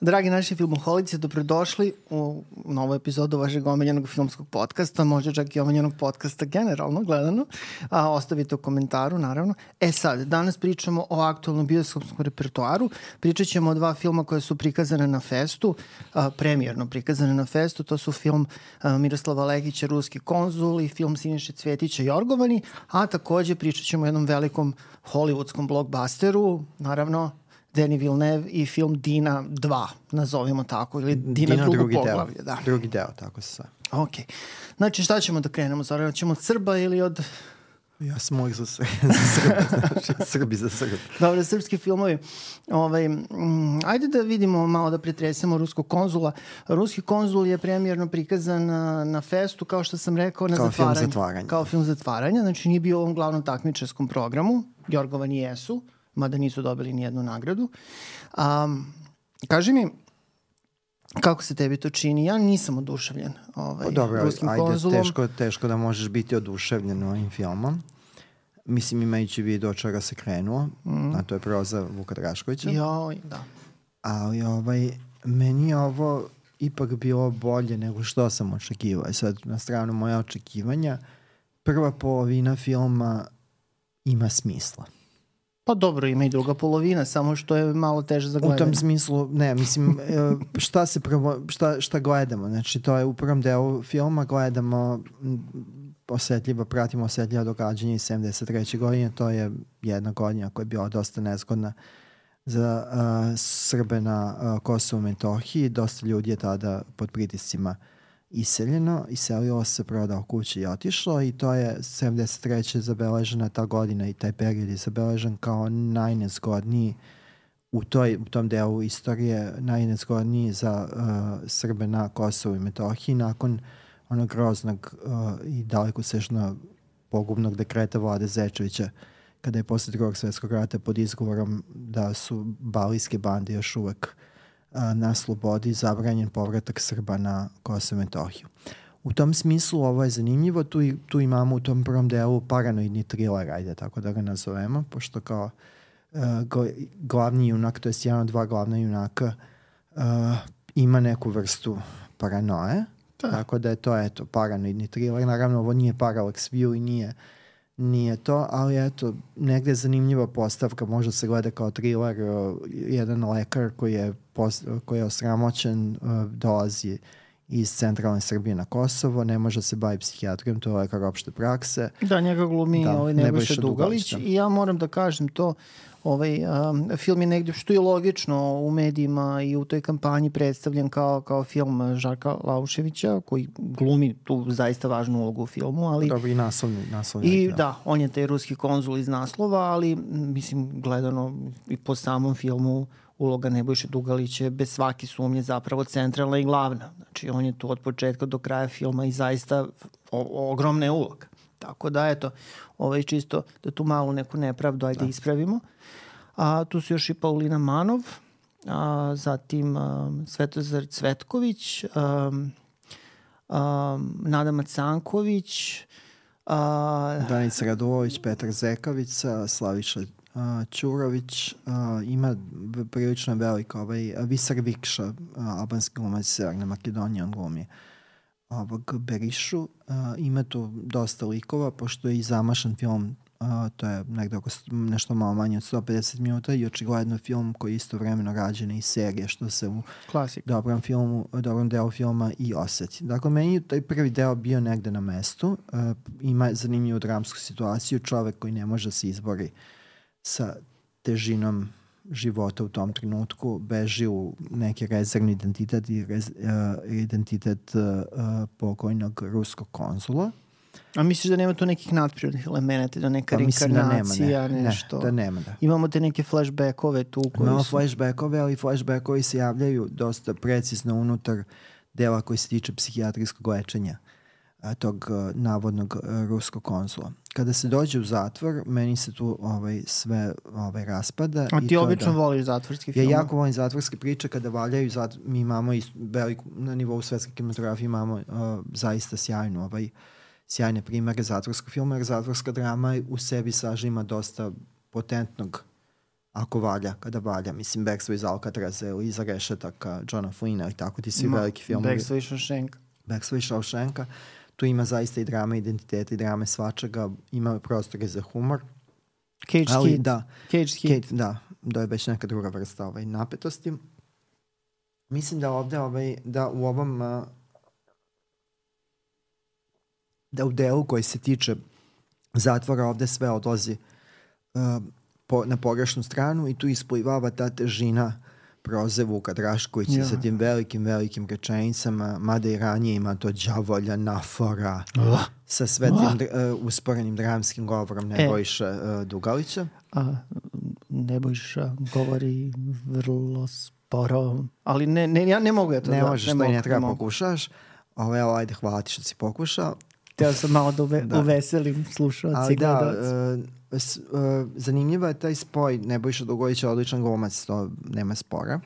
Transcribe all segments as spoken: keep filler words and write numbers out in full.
Dragi naši filmoholici, dobrodošli u novu epizodu vašeg omiljenog filmskog podcasta, možda čak i omiljenog podcasta generalno gledano. A, ostavite u komentaru, naravno. E sad, danas pričamo o aktualnom bioskopskom repertoaru. Pričat ćemo o dva filma koje su prikazane na festu, a, premijerno prikazane na festu. To su film a, Miroslava Lekića, Ruski konzul, i film Siniše Cvjetića, Jorgovani. A takođe pričat ćemo o jednom velikom hollywoodskom blockbusteru, naravno Denis Villeneuve i film Dina dva, nazovimo tako, ili Dina, Dina drugo poglavlje. Da. Drugi deo, tako se sve. Ok. Znači, šta ćemo da krenemo? Zara, ćemo od Srba ili od... Ja sam uvijek za, za Srba, znači Srbi za Srba. Dobre, srpski filmovi. Ovaj, mm, ajde da vidimo malo, da pretresemo Ruskog konzula. Ruski konzul je premijerno prikazan na, na festu, kao što sam rekao, na kao zatvaranje. Film zatvaranja. Kao film zatvaranja. Znači, nije bio u ovom glavnom takmičarskom programu. Jorgovani jesu, mada nisu dobili nijednu nagradu. Um, kaži mi, kako se tebi to čini? Ja nisam oduševljen ovaj, Dobro, Ruskim ajde, konzulom. Teško, teško da možeš biti oduševljen ovim filmom. Mislim, imajući vid od čega se krenuo, mm. a to je proza Vuka Draškovića. Joj, da. Ali ovaj, meni je ovo ipak bilo bolje nego što sam očekivao. Sad, na stranu moja očekivanja, prva polovina filma ima smisla. Pa dobro, ima i druga polovina, samo što je malo teže za gledanje. U tom smislu, ne, mislim, šta se prvo, šta, šta gledamo? Znači, to je u prvom delu filma, gledamo osetljivo, pratimo osetljiva događanja iz sedamdeset treće godine, to je jedna godina koja je bila dosta nezgodna za uh, Srbe na uh, Kosovu i Metohiji. Dosta ljudi je tada pod pritiscima iseljeno, iselilo se, prodao kuće i otišlo, i to je sedamdeset treće zabeležena ta godina i taj period je zabeležen kao najnezgodniji u, toj, u tom delu istorije, najnezgodniji za uh, Srbe na Kosovu i Metohiji nakon onog groznog uh, i dalekosežno pogubnog dekreta Vlade Zečevića, kada je posle drugog svjetskog rata pod izgovorom da su balijske bande još uvek na slobodi zabranjen povratak Srba na Kosovo i Metohiju. U tom smislu ovo je zanimljivo, tu, tu imamo u tom prvom delu paranoidni thriller, ajde tako da ga nazovemo, pošto kao uh, glavni junak, to je jedan od dva glavna junaka, uh, ima neku vrstu paranoje, da. Tako da je to eto, paranoidni thriller. Naravno, ovo nije Parallax View i nije Nije to, ali eto, negde je zanimljiva postavka, može se gleda kao thriller, uh, jedan lekar koji je, post, koji je osramoćen, uh, dolazi iz centralne Srbije na Kosovo, ne može se baviti psihijatrijom, to je lekar opšte prakse. Da, njega glumi da, ovaj Nebojša Dugalić, Dugalić i ja moram da kažem to, ovaj um, film je negde, što je logično, u medijima i u toj kampanji predstavljen kao, kao film Žarka Lauševića, koji glumi tu zaista važnu ulogu u filmu, ali... Dobro, i naslovni. naslovni I da. da, on je taj ruski konzul iz naslova, ali mislim, gledano i po samom filmu, uloga Nebojše Dugalića je bez svake sumnje zapravo centralna i glavna. Znači, on je tu od početka do kraja filma i zaista o, ogromna je uloga. Tako da, eto, ovaj čisto da tu malo neku nepravdu ajde da ispravimo. A, tu su još i Paulina Manov, a, zatim a, Svetozar Cvetković, a, a, Nada Macanković, a, Danica Radulović, Petar Zekavica, Slaviša a, Ćurović, a, ima prilično veliko ovaj, Visar Vikša, a, albanski glumac Severne Makedonije, on glumi ovog Berišu. Uh, ima tu dosta likova, pošto je i zamašan film, uh, to je negde oko nešto malo manje od sto pedeset minuta, i očigledno film koji je istovremeno rađen i serije, što se u Klasik. dobrom filmu, dobrom delu filma i osjeti. Dakle, meni je taj prvi deo bio negde na mestu, uh, ima zanimljivu dramsku situaciju, čovek koji ne može se izbori sa težinom života u tom trenutku, beži u neki rezervni identitet i rez, uh, identitet uh, pokojnog ruskog konzula. A misliš da nema tu nekih nadprirodnih elemenata, da neka pa reinkarnacija, da nema, ne, nešto? Ne, da nema, da. Imamo te neke flashbackove tu koji Imamo su... flashbackove, ali flashbackovi se javljaju dosta precizno unutar dela koji se tiče psihijatrijskog lečenja tog uh, navodnog uh, ruskog konzula. Kada se dođe u zatvor, meni se tu ovaj, sve ovaj, raspada. A ti i obično da, voliš zatvorski film? Ja jako volim zatvorske priče kada valjaju. Zat, mi imamo i veliku, na nivou svetske kinematografije imamo uh, zaista sjajnu, ovaj, sjajne primere zatvorskog filma, jer zatvorska drama u sebi sažima dosta potentnog ako valja, kada valja. Mislim, Backstreet iz Alcatraza ili Iza rešetaka, Johna Flynna i tako ti svi Ma, veliki filmovi. Backstreet Shawshank. Backstreet Shawshanka. Tu ima zaista i drame identiteta i drame svačega. Ima prostore za humor. Cage ali, Kid. Da, Cage Kid. Da, da je već neka druga vrsta ovaj, napetosti. Mislim da ovde, ovaj, da u ovom uh, da u delu koji se tiče zatvora ovde sve odlazi uh, po, na pogrešnu stranu i tu isplivava ta težina proze Vuka Draškovića ja. sa tim velikim, velikim rečenicama, mada i ranije ima to đavolja, nafora, uh. sa sve tim uh, usporenim dramskim govorom Nebojša e. uh, Dugalića. A, Nebojša govori vrlo sporo, ali ne, ne, ja ne mogu ja to ne da... Možeš, ne to možeš, i ne treba ne pokušaš. Ovo, evo, ajde, hvala ti što si pokušao. Teo sam malo da, uve, da. uveselim slušalci i gledalci. Da, uh, s, uh, zanimljivo je taj spoj. Nebojša Dugalić je odličan glumac, to nema spora.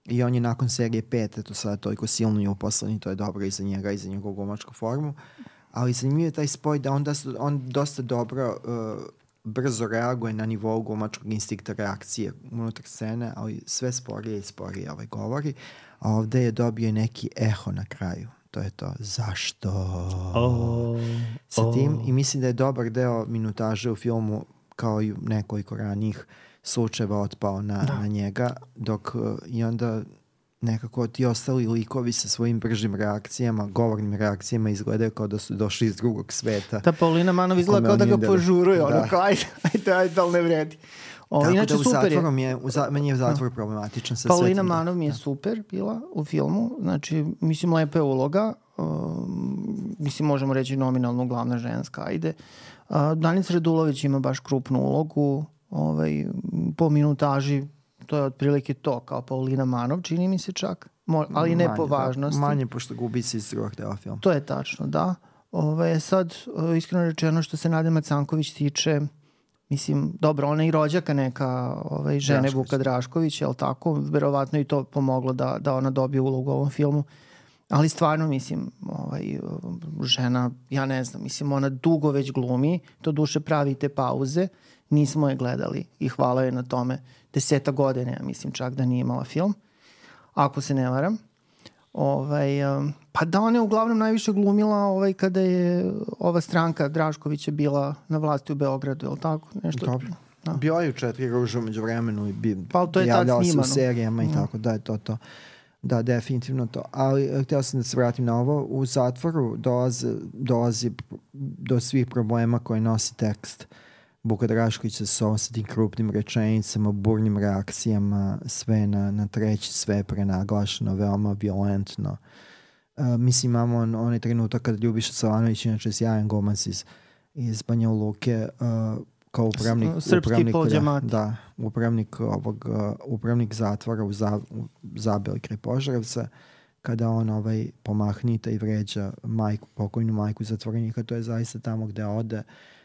I on je nakon serije pet, eto sada toliko silno i uposlen i to je dobro i za njega i za njegovu glumačku formu. Ali zanimljivo je taj spoj da on, da, on dosta dobro uh, brzo reaguje na nivou glumačkog instinkta reakcije unutar scene, ali sve sporije i sporije ovaj govori. A ovde je dobio neki eho na kraju. To je to. Zašto? Oh, Sa tim. oh. I mislim da je dobar deo minutaže u filmu, kao i nekoliko ranijih slučajeva, otpao na, na njega, dok uh, i onda nekako ti ostali likovi sa svojim bržim reakcijama, govornim reakcijama izgledaju kao da su došli iz drugog sveta. Ta Paulina Manov izgleda kao da ga požuruje, ono kao ajde, ajde, ajde, ali ne vredi. O, Tako inače, da u super zatvorom je, u za, meni je zatvor problematičan. Sa Paulina svetim, Manov mi je da. super bila u filmu, znači, mislim, lepa je uloga, um, mislim, možemo reći nominalno glavna ženska, ajde. Uh, Danica Radulović ima baš krupnu ulogu, ovaj, po minutaži, to je otprilike to, kao Paulina Manov, čini mi se čak, Mo, ali ne manje, po važnosti. Da, manje, pošto gubi se iz drugog dela filma. To je tačno, da. Ove, sad, iskreno rečeno, što se Nade Macanković tiče, mislim, dobro, ona je i rođaka neka ovaj, žene Drašković. Vuka Drašković, je li tako? Verovatno i to pomoglo da, da ona dobije ulogu u ovom filmu. Ali stvarno, mislim, ovaj, žena, ja ne znam, mislim, ona dugo već glumi, to duše pravi te pauze, nismo je gledali i hvala je na tome. Deseta godine, ja mislim čak da nije imala film, ako se ne varam. Ovaj, pa da, ona je uglavnom najviše glumila ovaj, kada je ova stranka Draškovića bila na vlasti u Beogradu, je li tako? Nešto. Dobro. Da. Bio je u Četiri ruže umeđu vremenu i bi, pa, to je javljala se u serijama i tako, da je to to. Da, definitivno to. Ali htio sam da se vratim na ovo. U zatvoru dolazi, dolazi do svih problema koje nosi tekst Vuka Draškovića sa sa tim krupnim rečenicama, burnim reakcijama, sve na, na treći, sve prenaglašeno, veoma violentno. Uh, mislim, imamo on, onaj trenutak kada Ljubiša Savanović, inače sjajan glumac iz, iz Banja Luke, uh, kao upravnik, srpski upravnik, da, da, upravnik, ovog, uh, upravnik zatvora u, za, u Zabeli kraj Požarevca, kada on ovaj, pomahnita i vređa majku, pokojnu majku zatvorenika, to je zaista tamo gde ode.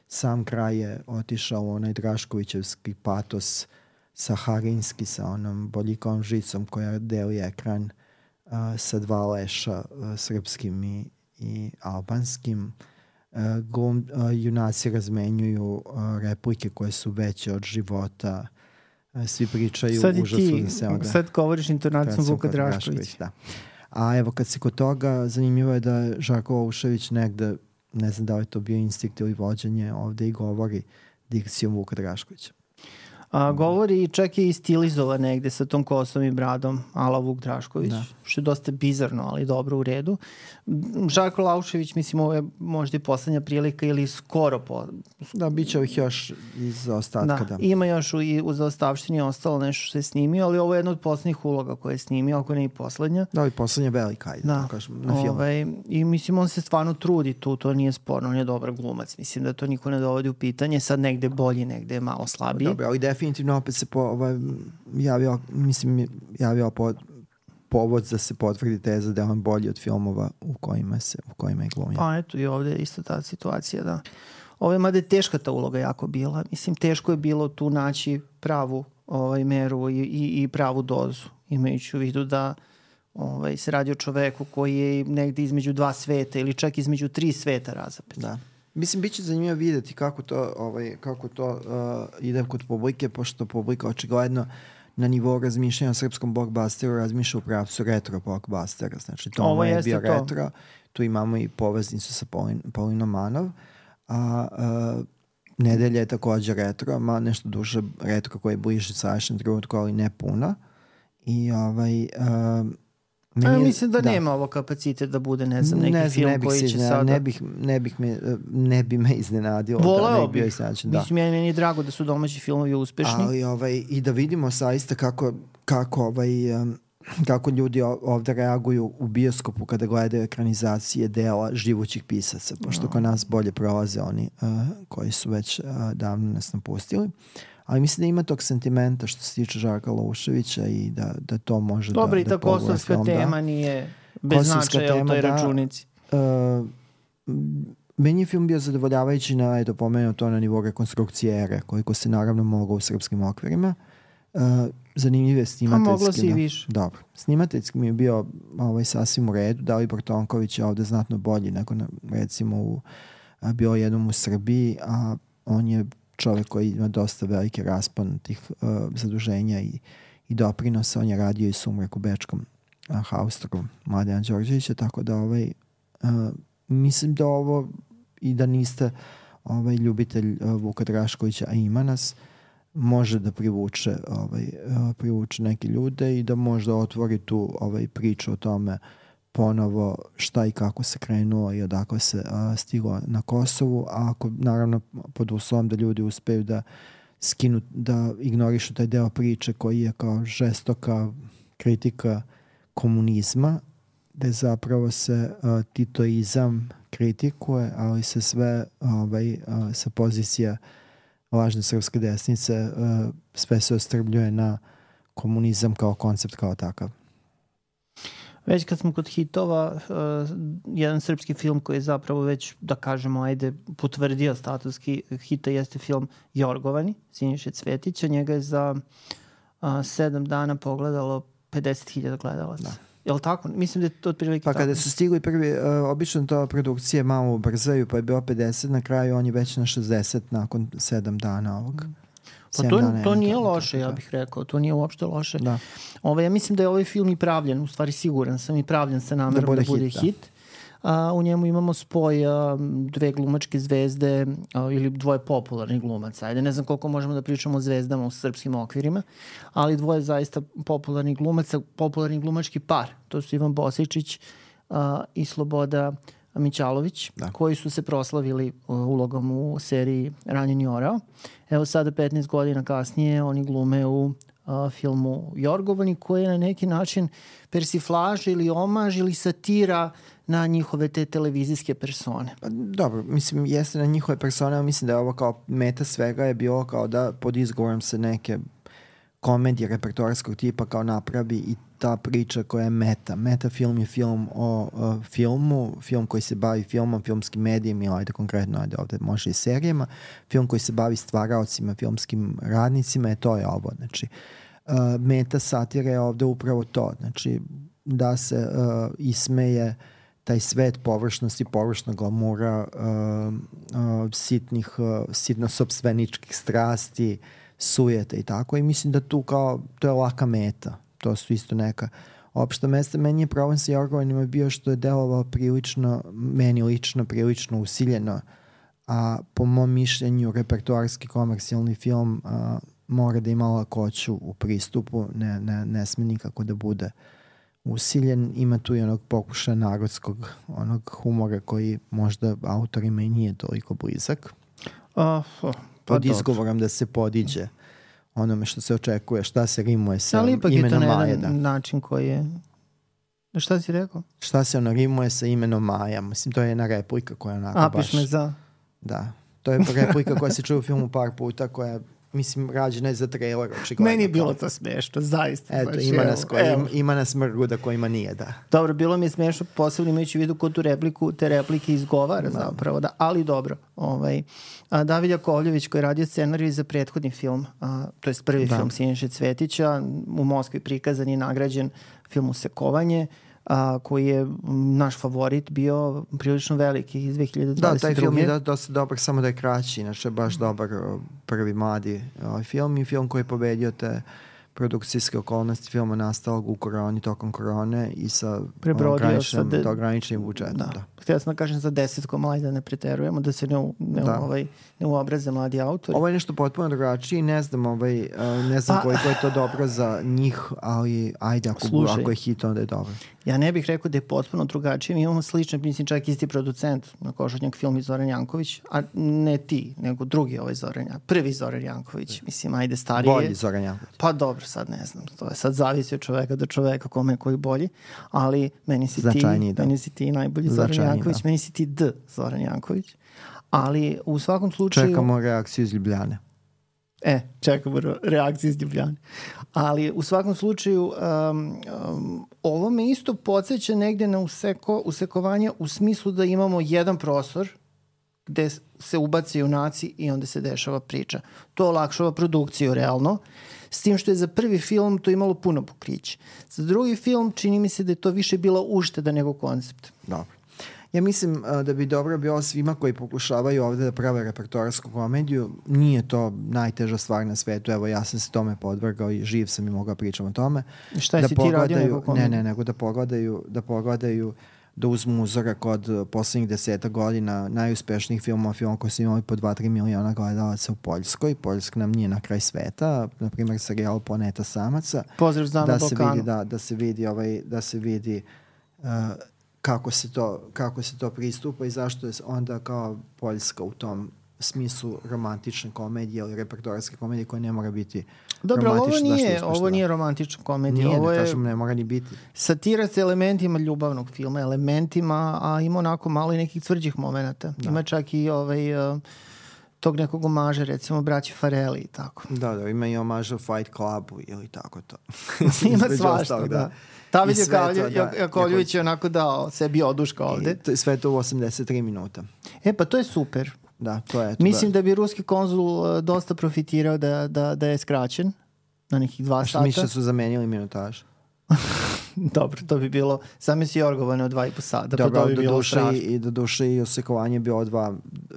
Sam kraj je otišao u onaj Draškovićevski patos saharinski sa onom boljikovom žicom koja deli ekran uh, sa dva leša uh, srpskim i, i albanskim. Uh, glum, uh, junaci razmenjuju uh, replike koje su veće od života. Uh, svi pričaju sad užasno ti, da se onda... Sad govoriš intonacijom Vuka Drašković. Da. A evo kad se kod toga, zanimljivo je da Žarko Olušević negde, ne znam da li je to bio instinkt ili vođenje, ovde i govori dikcijom Vuka Draškovića. A, govori i čak je i stilizovan negde sa tom kosom i bradom ala Vuk Drašković, da. Što je dosta bizarno, ali dobro, u redu. Žarko Laušević, mislim, ovo je možda i poslednja prilika ili skoro po... Da, bit će ovih još iz ostatka. Da, da. Ima još u, i u zaostavštini ostalo nešto što je snimio, ali ovo je jedna od poslednjih uloga koje je snimio, ako ne i poslednja. Da, i poslednja velika, ajde, da. Kažem, na filmu. Ovaj, I mislim, on se stvarno trudi tu, to nije sporno, on je dobar glumac. Mislim da to niko ne dovodi u pitanje, sad negde bolji, negde je malo slabiji. Dobro, ali definitivno opet se po, ovaj, javio, mislim, javio po, povod da se potvrdi teza da je on bolji od filmova u kojima, se, u kojima je glumio. Pa eto, i ovde je isto ta situacija, da. Ovo je, mada je teška ta uloga jako bila. Mislim, teško je bilo tu naći pravu ovaj, meru i, i, i pravu dozu, imajući u vidu da ovaj, se radi o čoveku koji je negde između dva sveta ili čak između tri sveta razapet. Da. Mislim, bit će zanimljivo vidjeti kako to, ovaj, kako to uh, ide kod publike, pošto publika očigledno na nivou razmišljanja o srpskom blockbusteru razmišlja u pravcu retro blockbustera. Znači, to ovo je bio to. retro. Tu imamo i poveznicu sa Paulin, Paulinom Manov. A uh, Nedelja je također retro, ma nešto duže retro koje je bliže sadašnjem trenutku, ali ne puno. I ovaj... Uh, A, mislim da, da nema ovo kapacitet da bude, ne znam, neki ne znam, film koji će sada... Ne, bih, ne, bih me, ne bi me iznenadilo. Voleo da, bih. Mislim, da. meni je drago da su domaći filmovi uspešni. Ali, ovaj, i da vidimo saista kako, kako, ovaj, um, kako ljudi ovde reaguju u bioskopu kada gledaju ekranizacije dela živućih pisaca, pošto no. kod nas bolje prolaze oni uh, koji su već uh, davno nas napustili. Ali mislim da ima tog sentimenta što se tiče Žarka Luševića i da, da to može Dobre, da, da pogura film. Dobro, i ta kosovska tema da. nije bez značaja u toj da, računici. Uh, meni je film bio zadovoljavajući na, eto, pomenuo to na nivou rekonstrukcije ere, koliko se naravno moglo u srpskim okvirima. Uh, zanimljiv je snimateljski. A moglo si i više. Dobro. Snimateljski mi je bio ovaj, sasvim u redu. Dalibor Tonković je ovde znatno bolji nego na, recimo u, a, bio jednom u Srbiji, a on je čovjek koji ima dosta velike raspon tih uh, zaduženja i, i doprinosa. On je radio i Sumrak u bečkom uh, Haustru Mladena Đorđevića, tako da ovaj, uh, mislim da ovo i da niste ovaj, ljubitelj uh, Vuka Draškovića, a ima nas, može da privuče, ovaj, uh, privuče neke ljude i da možda otvori tu ovaj, priču o tome ponovo šta i kako se krenuo i odakle se uh, stiglo na Kosovu, a ako naravno pod uslovom da ljudi uspeju da skinu, da ignorišu taj deo priče koji je kao žestoka kritika komunizma, gde zapravo se uh, titoizam kritikuje, ali se sve ovaj, uh, sa pozicija lažne srpske desnice uh, sve se ostrvljuje na komunizam kao koncept kao takav. Već kad smo kod hitova, uh, jedan srpski film koji je zapravo već, da kažemo, ajde, potvrdio status hita jeste film Jorgovani, Siniše Cvetića. Njega je za uh, sedam dana pogledalo pedeset hiljada gledalaca. Da. Je li tako? Mislim da je to otprilike pa tako. Pa kada su stigli prvi, uh, obično to produkcije malo ubrzaju, pa je bilo pedeset, na kraju on je već na šezdeset nakon sedam dana ovog. Mm. Pa to, to nije loše, ja bih rekao. To nije uopšte loše. Da. Ove, ja mislim da je ovaj film i pravljen, u stvari siguran sam i pravljen sa namerom da bude, da bude hit. hit. A, u njemu imamo spoj a, dve glumačke zvezde a, ili dvoje popularnih glumaca. Ajde, ne znam koliko možemo da pričamo o zvezdama u srpskim okvirima, ali dvoje zaista popularnih glumaca, popularni glumački par. To su Ivan Bosičić a, i Sloboda Mićalović, da. koji su se proslavili uh, ulogom u seriji Ranjeni orao. Evo sada petnaest godina kasnije oni glume u uh, filmu Jorgovani, koji je na neki način persiflaž ili omaž ili satira na njihove te televizijske persone. Dobro, mislim, jeste na njihove persone, ali mislim da je ovo kao meta svega je bilo kao da pod izgovorom se neke komedije repertoarskog tipa kao napravi i ta priča koja je meta. Meta film je film o uh, filmu, film koji se bavi filmom, filmskim medijem, ili ajde konkretno, ajde ovde može i serijama, film koji se bavi stvaraocima, filmskim radnicima, je to je ovo. Znači, uh, meta satire je ovde upravo to. Znači, da se uh, ismeje taj svet površnosti, površnog glamura, uh, uh, sitnih, uh, sitno-sopstveničkih strasti, sujete i tako. I mislim da tu kao, to je laka meta. To su isto neka opšta mesta. Meni je problem sa Jorgovanima bio što je delovao prilično, meni lično, prilično usiljeno, a po mom mišljenju repertoarski komercijalni film a, mora da ima lakoću u pristupu, ne, ne, ne sme nikako da bude usiljen. Ima tu i onog pokušaja narodskog, onog humora koji možda autorima i nije toliko blizak. Uh, uh, pa pod izgovorom da se podiđe onome što se očekuje, šta se rimuje sa imenom Maja. Ali ipak je to na jedan način koji je... Šta si rekao? Šta se ono rimuje sa imenom Maja. Mislim, to je jedna replika koja onako A, baš... A, piš me za... Da. To je replika koja se čuje u filmu par puta, koja mislim, rađena je za trailer. Meni je bilo to smiješno, zaista. Eto, baš, ima, nas koji, ima, ima nas mrguda kojima nije, da. Dobro, bilo mi je smiješno, posebno imajući u vidu ko tu repliku, te replike izgovara da. zapravo, da, ali dobro. Ovaj, a, David Jakovljević koji je radio scenarij za prethodni film, a, to je prvi da. film Siniše Cvetića, u Moskvi prikazan i nagrađen film Usekovanje. a, koji je naš favorit bio prilično veliki iz dve hiljade dvadeset druge. Da, taj film je da, dosta dobar, samo da je kraći, inače baš dobar prvi mladi ovaj film i film koji je pobedio te produkcijske okolnosti filma nastalog u koroni, tokom korone i sa ograničenim, de... ograničenim budžetom. Da. Da. Htio sam da kažem za desetkom, ali da ne preterujemo, da se ne, u, ne, da. Ovaj, ne uobraze mladi autori. Ovo je nešto potpuno drugačije, ne znam, ovaj, ne znam pa, koliko je to dobro za njih, ali ajde, ako, slušaj, ako je hit, onda je dobro. Ja ne bih rekao da je potpuno drugačije. Mi imamo slične, mislim, čak isti producent na Košutnjak film i Zoran Janković, a ne ti, nego drugi ovaj Zoran Janković. Prvi Zoran Janković, mislim, ajde starije. Bolji Zoran Janković. Pa dobro, sad ne znam. To je sad zavisi od čoveka do čoveka kome je koji bolji, ali meni si Značajniji, ti, da. meni si ti najbolji Zoran Janković, da. Meni si ti D Zoran Janković. Ali u svakom slučaju... Čekamo reakciju iz Ljubljane. E, čekamo reakciju iz Ljubljane. Ali u svakom slučaju um, um, ovo me isto podsjeća negde na useko, usekovanje u smislu da imamo jedan prostor gde se ubace junaci i onda se dešava priča. To olakšava produkciju realno, s tim što je za prvi film to imalo puno pokriće. Za drugi film čini mi se da je to više bila ušteda nego koncept. Dobro. Ja mislim uh, da bi dobro bilo svima koji pokušavaju ovde da prave repertoarsku komediju. Nije to najteža stvar na svetu. Evo, ja sam se tome podvrgao i živ sam i mogao pričam o tome. Šta je da si ti radio nego komediju? Ne, ne, nego da pogledaju, da pogledaju, da uzmu uzorak od poslednjih deseta godina najuspešnijih filmova, filmova koji su imali po dva do tri miliona gledalaca u Poljskoj. Poljska nam nije na kraj sveta. Na primjer, serijal Planeta samaca. Pozdrav za na Balkanu. Da, da se vidi, ovaj, da se vidi uh, kako se to kako se to pristupa i zašto je onda kao Poljska u tom smislu romantične komedije ili repertoarske komedije koja ne mora biti dobro, romantična. Dobro, ovo nije, ovo nije romantična komedija. Nije, ovo ne je kažem, ne mora ni biti. Satira sa elementima ljubavnog filma, elementima, a ima onako malo i nekih tvrđih momenata. Da. Ima čak i ovaj... Uh, tog nekog omaža, recimo braći Farelli i tako. Da, da, ima i omaža Fight Clubu ili tako to. Ima svašta, da. da. David Jakovljević je onako dao sebi oduška ovde. I sve to u osamdeset tri minuta. E pa to je super. Da, to je. To Mislim da. da bi ruski konzul dosta profitirao da, da, da je skraćen na nekih dva sata. Mislim da su zamenili minutaž. Dobro, to bi bilo same si Jorgovane od dva i po sata. Dobro, pa to bi do bilo duše strašno. I do duše i osekovanje bilo dva,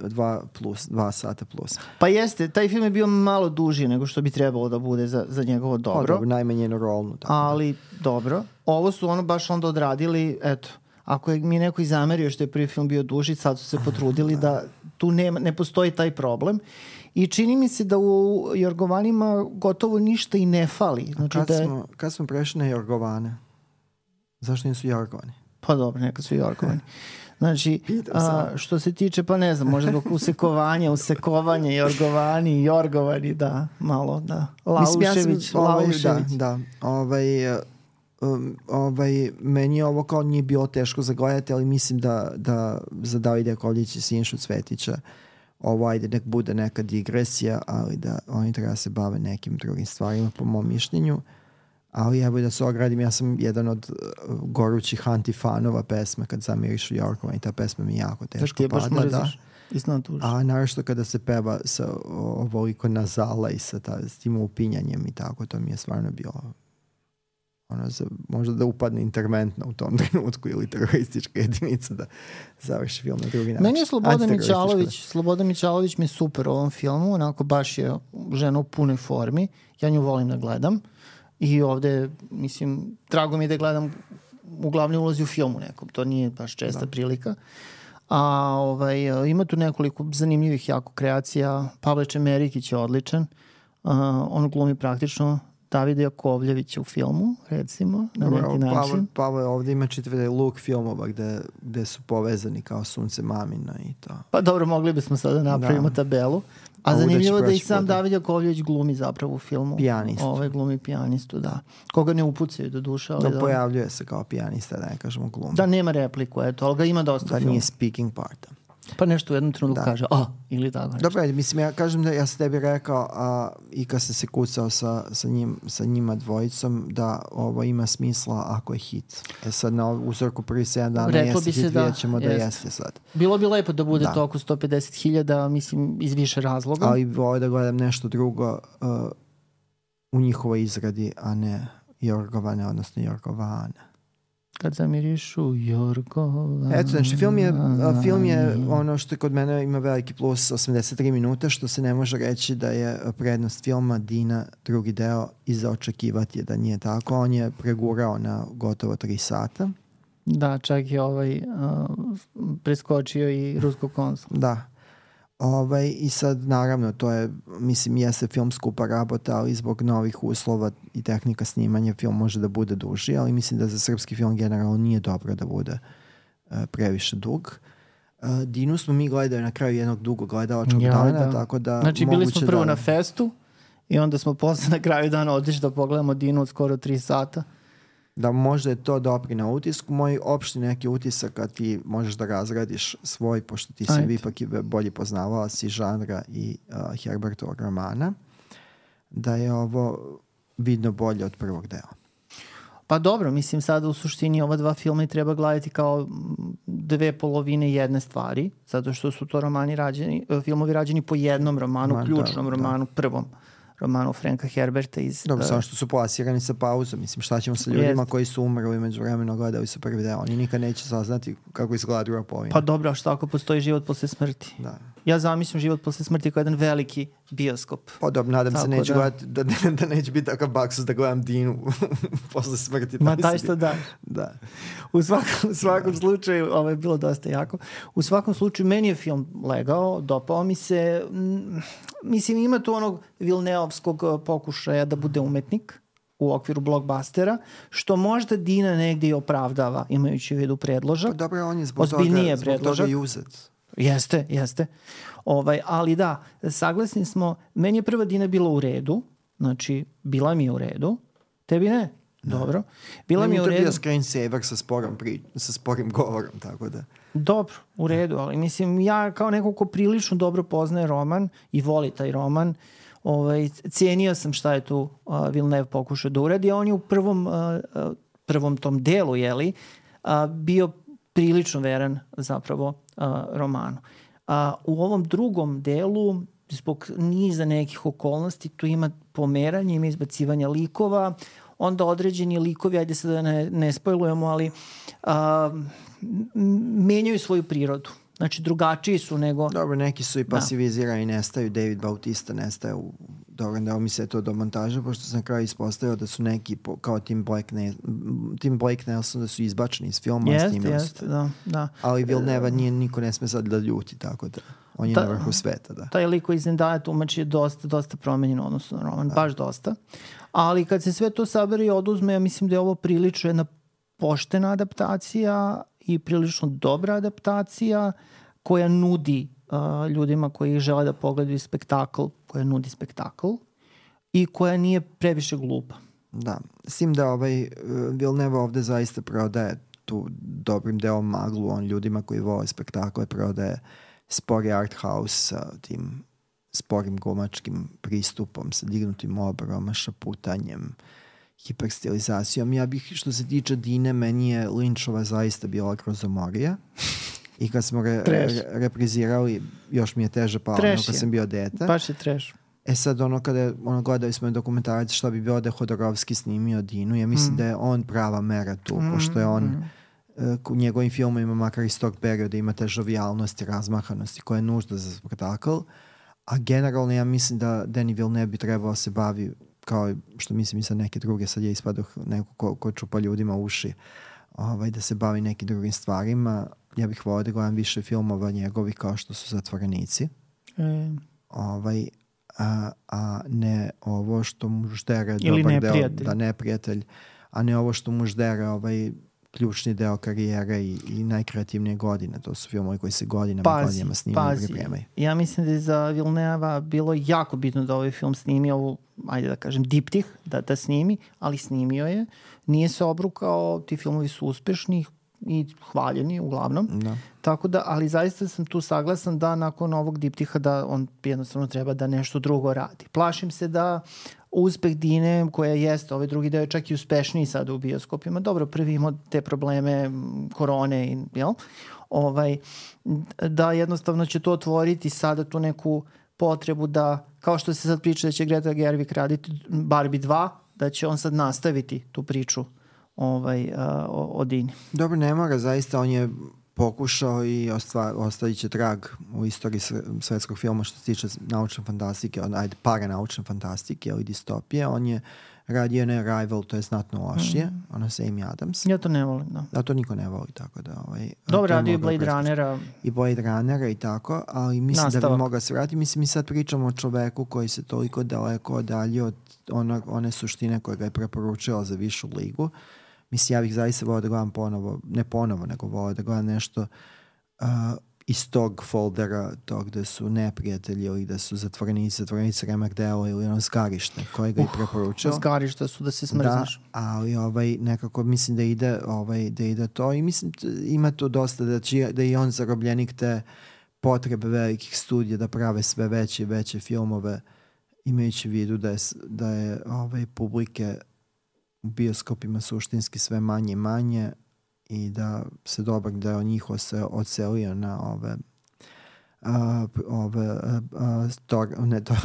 dva plus, dva sata plus. Pa jeste, taj film je bio malo duži nego što bi trebalo da bude za, za njegovo dobro. Pa dobro, najmanje rolnu. Tako ali da. Dobro, ovo su ono baš onda odradili, eto, ako je mi neko i zamerio što je prvi film bio duži, sad su se potrudili da tu nema, ne postoji taj problem. I čini mi se da u Jorgovanima gotovo ništa i ne fali. Znači kad, da je... smo, kad smo prešli na Jorgovane? Zašto nisu Jorgovani? Pa dobro, neka su Jorgovani. Znači, a, što se tiče, pa ne znam, možda zbog usekovanja, usekovanje, Jorgovani, Jorgovani, da, malo, da. Laušević, Mislim, ja ovaj, Laušević. Da, da, ovaj... Um, ovaj, meni je ovo kao nije bilo teško zagledati, ali mislim da, da za Davida Jakovljevića i Sinišu Cvetića ovo ajde nek bude neka digresija, ali da oni treba se bave nekim drugim stvarima po mom mišljenju. Ali evo da se ogradim, ja sam jedan od uh, gorućih antifanova pesme Kad zamirišu Jorgova i ta pesma mi jako teško da padla. Da. A naravno kada se peva sa ovoliko nazala i sa, ta, s tim upinjanjem i tako, to mi je stvarno bilo ono, za, možda da upadne interventna u tom trenutku ili teroristička jedinica da završi film na drugi način. Meni je Slobodan Mićalović, Slobodan Mićalović mi je super u ovom filmu, onako baš je žena u punoj formi, ja nju volim da gledam i ovde, mislim, drago mi je da gledam u glavnoj ulozi u filmu nekom, to nije baš česta da. prilika. A ovaj, ima tu nekoliko zanimljivih jako kreacija, Pavle Čemerikić je odličan, uh, on glumi praktično Davida Jakovljevića u filmu, recimo, na neki način. Pavle, Pavle ovdje ima čitav luk filmova gde, gde su povezani kao Sunce mamina i to. Pa dobro, mogli bismo sada napravimo da. tabelu. A, A zanimljivo da i sam puta. David Jakovljević glumi zapravo u filmu. Pijanistu. Ove glumi pijanistu, da. Koga ne upucaju do duše. Ali da, da pojavljuje se kao pijanista, da ne kažemo glumi. Da, nema repliku, eto, ali ga ima dosta da filmu. Nije speaking part. Pa nešto u jednom trenutku da. kaže, a, ili tako nešto. Dobro, mislim, ja kažem da ja sam tebi rekao a, i kad sam se kucao sa, sa, njim, sa njima dvojicom da ovo ima smisla ako je hit. E sad na uzorku prvi sedam dana Reklo jeste hit, da, vidjet ćemo da jest. jeste sad. Bilo bi lepo da bude da. to oko sto pedeset hiljada, mislim, iz više razloga. Ali volim da gledam nešto drugo uh, u njihovoj izradi, a ne Jorgovane, odnosno Jorgovane. Kad zamirišu Jorgova. Eto, znači, film je, film je ono što kod mene ima veliki plus, osamdeset tri minuta, što se ne može reći da je prednost filma Dina drugi deo i za očekivati je da nije tako. On je pregurao na gotovo tri sata. Da, čak je ovaj uh, preskočio i rusko konsul. Da. Ovaj, i sad naravno to je, mislim, jeste film skupa rabota, ali zbog novih uslova i tehnika snimanja film može da bude duži, ali mislim da za srpski film generalno nije dobro da bude uh, previše dug. Uh, Dinu smo mi gledali na kraju jednog dugog gledalačkog ja, dana, da. Tako da znači bili smo prvo da... na festu i onda smo posle na kraju dana otišli da pogledamo Dinu od skoro tri sata. Da možda je to dopri na utisku. Moj opšti neki utisak kad ti možeš da razradiš svoj, pošto ti si ipak i bolje poznavala si žanra i uh, Herbertovog romana, da je ovo vidno bolje od prvog dela. Pa dobro, mislim sada u suštini ova dva filma i treba gledati kao dve polovine jedne stvari, zato što su to romani rađeni, filmovi rađeni po jednom romanu, Man, ključnom da, romanu, da. prvom romanu Franka Herberta iz... Dobro, uh, samo što su plasirani sa pauzom. Mislim, šta ćemo sa ljudima jest. koji su umrli među vremeno gledali su prvi deo. Oni nikad neće saznati kako izgleda druga polovina. Pa dobro, a šta ako postoji život posle smrti? Da. Ja zamislim život posle smrti kao jedan veliki bioskop. Pa dobro, nadam Tako se neću da... gledati, da, da, da neće biti takav baksus da gledam Dinu posle smrti. Ma taj što daš. Da. U svakom, u svakom slučaju, ovo je bilo dosta jako, u svakom slučaju meni je film legao, dopao mi se, m, mislim ima tu onog Vilneovskog pokušaja da bude umetnik u okviru blockbustera, što možda Dina negdje i opravdava, imajući u vidu predložak. Pa dobro, on je zbog toga, zbog toga i uzet. Jeste, jeste. Ovaj, ali da, saglasni smo, meni je prva Dina bila u redu, znači bila mi je u redu, tebi ne? Dobro. Bila ne, mi je u redu. To je bio screensaver sa sporom, pri, sa sporim govorom, tako da. Dobro, u redu, ali mislim, ja kao neko ko prilično dobro poznaje roman i voli taj roman, ovaj, cijenio sam šta je tu uh, Villeneuve pokušao da uradi, a on je u prvom, uh, prvom tom delu, jeli, uh, bio prilično veran zapravo uh, romanu. Uh, u ovom drugom delu, zbog niza nekih okolnosti, tu ima pomeranje, ima izbacivanja likova, onda određeni likovi, ajde se da ne, ne spojlujemo, ali uh, menjaju svoju prirodu. Znači, drugačiji su nego... Dobro, neki su i pasivizirani, nestaju. David Bautista nestaje u... Dobro, da mi se to do montaža, pošto sam na kraju ispostavio da su neki, po, kao Tim Blake, ne, Tim Blake Nelson, da su izbačeni iz filma. Jeste, jeste, da, da. Ali Villeneuve nije, niko ne sme sad da ljuti, tako da... On je Ta, na vrhu sveta, da. Taj liko iz Zendaya tumač je dosta, dosta promenjen odnosno na roman, da. Baš dosta. Ali kad se sve to sabere i oduzme, ja mislim da je ovo prilično jedna poštena adaptacija i prilično dobra adaptacija koja nudi uh, ljudima koji žele da pogledaju spektakl, koja nudi spektakl i koja nije previše glupa. Da, s tim da ovaj uh, Villeneuve ovde zaista prodaje tu dobrim delom maglu, on ljudima koji vole spektakle prodaje spori art house sa tim sporim glumačkim pristupom, sa dignutim obroma, šaputanjem, hiperstilizacijom. Ja bih, što se tiče Dine, meni je Lynchova zaista bila grozomorija. I kad smo re, re, reprizirali, još mi je teže palo nego kad sam bio dete. Baš je trash. E sad, ono kada je, ono, gledali smo dokumentarac šta bi bilo da je Hodorovski snimio Dinu, ja mislim mm. da je on prava mera tu, mm. pošto je on mm. u njegovim filmovima, makar iz tog perioda, ima te žovijalnosti, razmahanosti koja je nužda za spektakl, a generalno ja mislim da Denis Villeneuve bi trebao se bavi, kao što mislim i sa neke druge, sad je ispadoh neko ko, ko čupa ljudima uši, ovaj, da se bavi nekim drugim stvarima. Ja bih volio da gledam više filmova njegovih kao što su Zatvorenici. Mm. Ovaj, a, a ne ovo što mu ždere ili dobar neprijatelj. Deo, da neprijatelj, a ne ovo što mu ždere ovaj ključni deo karijere i, i najkreativnije godine. To su filmovi koji se godinama, pazi, godinama snimaju i pripremaju. Ja mislim da je za Villeneuve bilo jako bitno da ovaj film snimi ovu, ajde da kažem, diptih, da, da snimi, ali snimio je. Nije se obrukao, ti filmovi su uspešni i hvaljeni uglavnom. Da. Tako da, ali zaista sam tu saglasan da nakon ovog diptiha da on jednostavno treba da nešto drugo radi. Plašim se da uspeh Dine, koja jeste, ovaj drugi deo je čak i uspešniji sada u bioskopima. Dobro, prvi imao te probleme korone, i, jel? Ovaj, da jednostavno će to otvoriti sada tu neku potrebu da, kao što se sad priča da će Greta Gerwig raditi Barbie dva, da će on sad nastaviti tu priču ovaj, a, o, o Dini. Dobro, ne mora, zaista on je pokušao i ostavit će trag u istoriji svetskog filma što se tiče naučne fantastike, ajde, paranaučne fantastike ili distopije. On je radio ne Arrival, to je znatno lošije, mm. ono sa Amy Adams. Ja to ne volim, da. Da, to niko ne voli, tako da... Ovaj, dobro, radio i Blade Runnera. I Blade Runnera i tako, ali mislim Nastavak. Da bi mogao se vratiti. Mislim, mi sad pričamo o čoveku koji se toliko daleko odalje od ona, one suštine koje ga je preporučila za višu ligu. Mislim, ja bih zaista volio da gledam ponovo, ne ponovo, nego volio da gledam nešto uh, iz tog foldera, tog gde su neprijatelji ili da su zatvorenici, zatvorenici remek delo ili ono zgarište koje ga uh, i preporučio. Zgarište su da se smrzneš. Da, ali ovaj, nekako mislim da ide, ovaj, da ide to i mislim ima tu dosta da, će, da i on zarobljenik te potrebe velikih studija da prave sve veće i veće filmove imajući vidu da je, da je ovaj, publike u bioskopima suštinski sve manje i manje i da se dobar deo njih se odselio na ove a, ove a, tor, ne to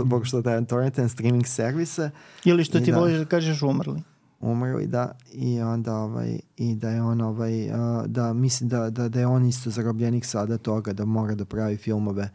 pokušao da je torrent streaming servise ili što ti da, voliš da kažeš umrli umrli da i onda ovaj i da je on ovaj a, da mislim da, da, da je on isto zarobljenik sada toga da mora da pravi filmove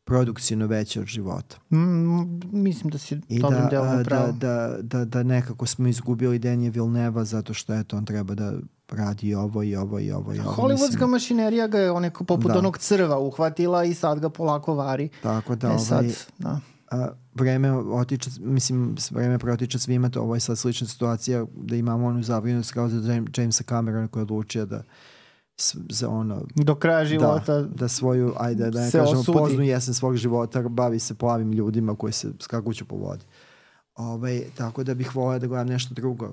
produkcijno veće od života. Mm, mislim da si dobrim delom pravo. Da, da, da, da nekako smo izgubili Denije Vilneva zato što eto, on treba da radi i ovo i ovo i ovo. I ovo. Hollywoodska mislim, mašinerija ga je onako poput da. onog crva uhvatila i sad ga polako vari. Tako da, e, ovaj, sad, da. A, vreme otiče, mislim, vreme protiče svima, to ovo je sad slična situacija da imamo onu zabrinutost kao za Jamesa Camerona koji je odlučio da za ono do kraja života da, da svoju ajde da ne kažemo osudi. Poznu jesen svog života bavi se plavim ljudima koji se skakuću po vodi. Ovaj, tako da bih volio da gledam nešto drugo uh,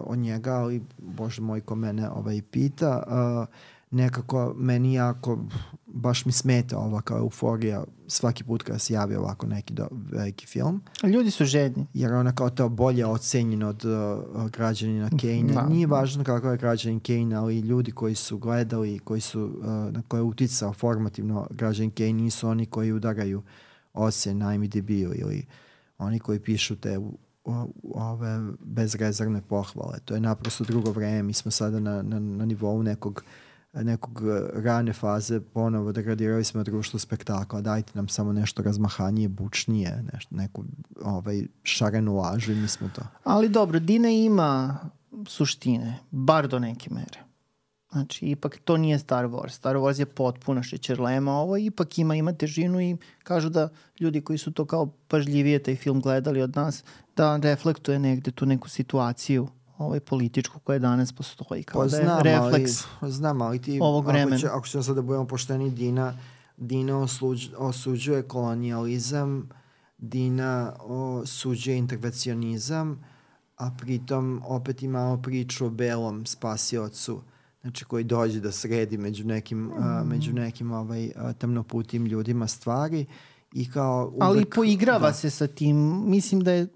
od njega, ali bože moj ko mene ovaj, pita uh, nekako meni jako baš mi smeta ova kao euforija svaki put kada se javi ovako neki do, veliki film. Ljudi su žedni. Jer ona kao to bolje ocenjen od uh, građanina Kane. Da. Nije važno kako je građanin Kane, ali ljudi koji su gledali, koji su, uh, na koje je uticao formativno građanin Kane nisu oni koji udaraju ocen na I M D B-u ili oni koji pišu te u, u, ove bezrezervne pohvale. To je naprosto drugo vreme. Mi smo sada na, na, na nivou nekog nekog rane faze ponovo degradirali smo društvo spektakla, dajte nam samo nešto razmahanije, bučnije, nešto, neku ovaj, šarenu lažu i mi smo to. Ali dobro, Dina ima suštine, bar do neke mere. Znači, ipak to nije Star Wars. Star Wars je potpuna šećerlema, ovo ipak ima, ima težinu i kažu da ljudi koji su to kao pažljivije taj film gledali od nas, da reflektuje negde tu neku situaciju ovaj političku koja danas postoji kao pa, da je znam, refleks ali, znam, ali ti, ovog vremena. Ako, ako ćemo sad da budemo pošteni, Dina, Dina osuđ, osuđuje kolonijalizam, Dina osuđuje intervencionizam, a pritom opet imamo priču o belom spasiocu, znači koji dođe da sredi među nekim, mm. a, među nekim ovaj, a, tamnoputim ljudima stvari. I kao uvek, ali poigrava da. se sa tim, mislim da je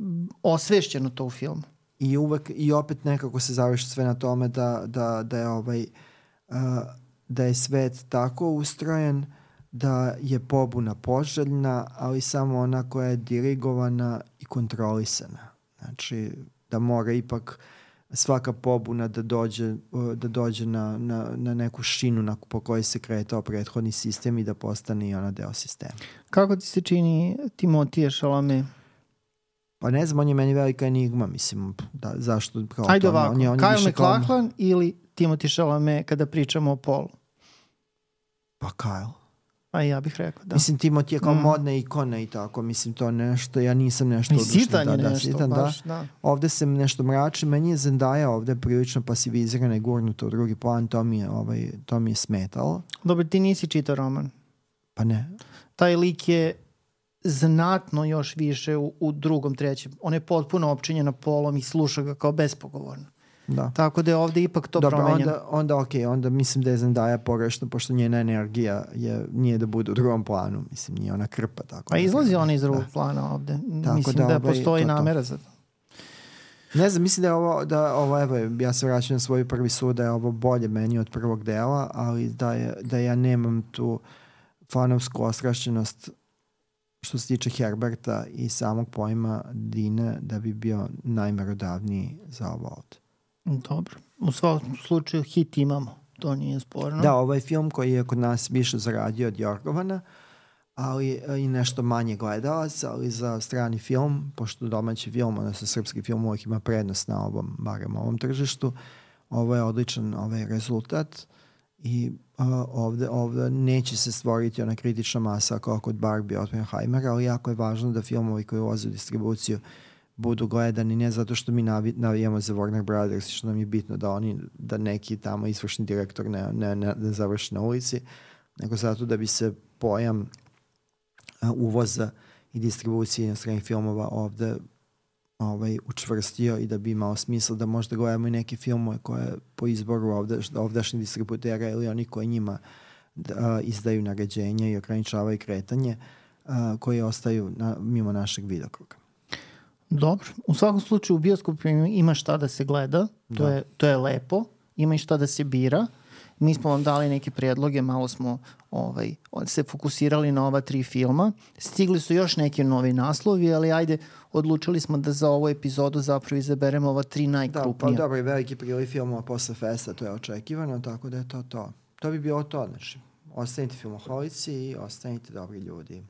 osvešćeno to u filmu. I uvek i opet nekako se završi sve na tome da, da, da je ovaj uh, da je svet tako ustrojen da je pobuna poželjna, ali samo ona koja je dirigovana i kontrolisana. Znači da mora ipak svaka pobuna da dođe, da dođe na, na, na neku šinu na, po kojoj se kretao prethodni sistem i da postane i ona deo sistema. Kako ti se čini Timotije Chalamet? Pa ne znam, on je meni velika enigma, mislim, da, zašto? Kao ajde to, ovako, on je, on Kyle je MacLachlan kao... ili Timothy Chalamet kada pričamo o polu? Pa Kyle. A ja bih rekao, da. Mislim, Timothy je kao mm. modna ikona i tako, mislim, to nešto, ja nisam nešto odušen. I sitan je da, nešto, da, sitan, baš, da. da. Ovde se nešto mrači, meni je Zendaya ovde prilično pasivizirana i gurnuta u drugi plan, to mi je, ovaj, to mi je smetalo. Dobro, ti nisi čitao roman? Pa ne. Taj lik je znatno još više u, u drugom, trećem. On je potpuno opčinjen polom i sluša ga kao bespogovorno. Da. Tako da je ovde ipak to dobro, promenjeno. Onda, onda ok, onda mislim da je Zendaya pogrešno, pošto njena energija je, nije da bude u drugom planu. Mislim, nije ona krpa. Tako a izlazi ona iz drugog da. plana ovde. Tako mislim da, da ovaj, postoji to, namera za to. Ne znam, mislim da je ovo, da ovo, evo, ja se vraćam na svoj prvi sud, da je ovo bolje meni od prvog dela, ali da, je, da ja nemam tu fanovsku ostrašćenost što se tiče Herberta i samog pojma Dine, da bi bio najmerodavniji za ovo ovdje. Dobro. U svakom slučaju hit imamo. To nije sporno. Da, ovaj film koji je kod nas više zaradio od Jorgovana, ali i nešto manje gledalaca, ali za strani film, pošto domaći film, odnosno srpski film uvijek ima prednost na ovom, barem ovom tržištu, ovo je odličan ovaj rezultat i uh, ovde, ovde neće se stvoriti ona kritična masa kao kod Barbie Oppenheimera, ali jako je važno da filmovi koji ulaze u distribuciju budu gledani ne zato što mi navi, navijamo za Warner Brothers, što nam je bitno da oni, da neki tamo izvršni direktor ne, ne, ne, ne završi na ulici, nego zato da bi se pojam uh, uvoza i distribucije inostranih filmova ovde ovaj, učvrstio i da bi imao smisla da možda gledamo i neke filmove koje po izboru ovdaš, ovdašnjih distributera ili oni koji njima da, izdaju naređenja i ograničavaju kretanje a, koji ostaju na, mimo našeg vidokruga. Dobro. U svakom slučaju u bioskopu ima šta da se gleda. To, Da. je, to je lepo. Ima i šta da se bira. Mi smo vam dali neke prijedloge, malo smo ovaj, se fokusirali na ova tri filma. Stigli su još neki novi naslovi, ali ajde, odlučili smo da za ovu epizodu zapravo izaberemo ova tri najkrupnija. Da, pa dobro, i veliki priliv filmova posle festa, to je očekivano, tako da je to to. To bi bilo to, znači. Ostanite filmoholici i ostanite dobri ljudi.